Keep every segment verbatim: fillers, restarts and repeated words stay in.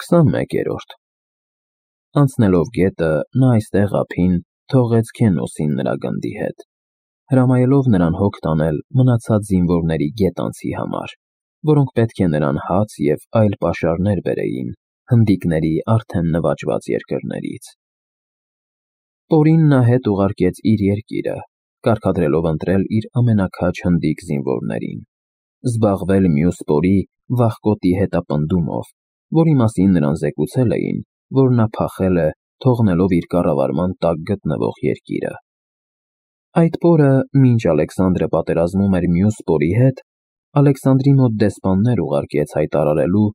քսանմեկերորդ Անցնելով գետը, նա այստեղ ափին թողեց Քենոսին նրա գնդի հետ, հրամայելով նրան հոգ տանել մնացած զինվորների գետանցի համար, որոնք պետք է նրան հաց և այլ պաշարներ բերեին հնդիկների արդեն նվաճված երկրներից։ Պորին նա հետ ուղարկեց իր երկիրը, կարգադրելով ընտրել իր ամենաքաջ հնդիկ զինվորներին, զբաղվել մյուս պորի վախկոտի հետապնդումով, որի մասին նրան զեկուցել էին, որ նա փախել է, թողնելով իր կառավարման տակ գտնվող երկիրը։ Այդ պորը, մինչ Ալեքսանդրը պատերազմում էր մյուս պորի հետ, Ալեքսանդրի մոտ դեսպաններ ուղարկեց հայտարարելու,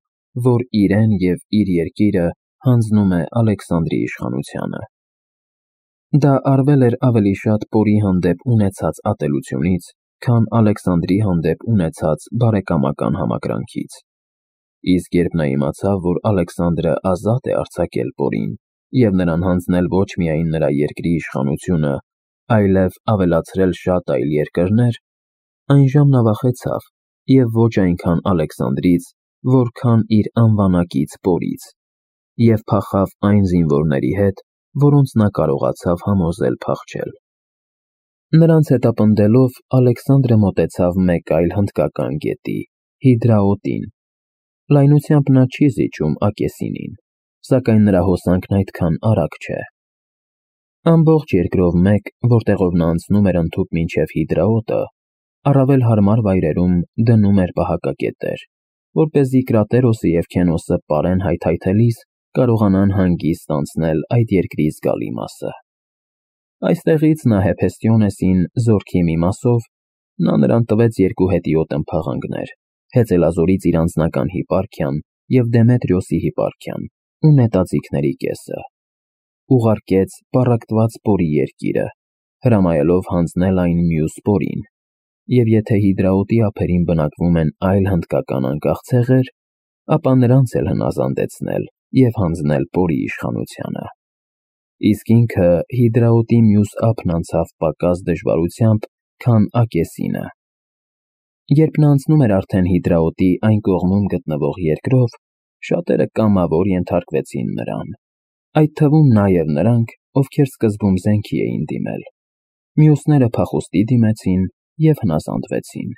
որ իրեն և իր երկիրը հանձնում է Ալեքսանդրի իշխանությանը։ Դա արվել էր ավելի շատ պորի հանդեպ ունեցած ատելությունից, քան Ալեքսանդրի հանդեպ ունեցած բարեկամական համակրանքից։ Իսկ երբ նա իմացավ, որ Ալեքսանդրը ազատ է արձակել պորին և նրան հանձնել ոչ միայն նրա երկրի իշխանությունը, այլև ավելացրել շատ այլ երկրներ, այնժամ նա վախեցավ և ոչ այնքան Ալեքսանդրից, որքան իր անվանակից պորից, և փախավ այն զինվորների հետ, որոնց նա կարողացավ համոզել փախչել։ Նրանց հետապնդելով Ալեքսանդրը մոտեցավ մեկ այլ հնդկական գետի՝ Հիդրաոտին։ Լայնությամբ նա չի զիջում Ակեսինին, սակայն նրա հոսանքն այդքան արագ չէ։ Ամբողջ երկրով մեկ, որտեղով նա անցնում էր ընդհուպ մինչև Հիդրաոտը, առավել հարմար վայրերում դնում էր պահակակետեր, որպեսզի Կրատերոսը և Քենոսը պարեն հայթայթելիս կարողանան հանգիստ անցնել այդ երկրի զգալի մասը։ Այստեղից նա Հեփեստիոնեսին զորքի մի մասով, նա նրան տվեց երկու հետիոտ ըմփաղանքներ՝ Հեծելազորից իր անձնական հիպարքիան և Դեմետրիոսի հիպարքիան ու նետաձիգների կեսը, ուղարկեց պառակտված պորի երկիրը, հրամայելով հանձնել այն մյուս պորին, և եթե Հիդրաոտի ափերին բնակվում են այլ հնդկական անկախ ցեղեր, ապա նրանց էլ հնազանդեցնել և հանձնել պորի իշխանությանը։ Իսկ ինքը Հիդրաոտի մյուս ափն անցավ պակաս դժվարությամբ, քան Ակեսինը։ Երբ նա անցնում էր արդեն Հիդրաոտի այն կողմում գտնվող երկրով, շատերը կամավոր ենթարկվեցին նրան, այդ թվում նաև նրանք, ովքեր սկզբում զենքի էին դիմել։ Մյուսները փախուստի դիմեցին և հնազանդվեցին։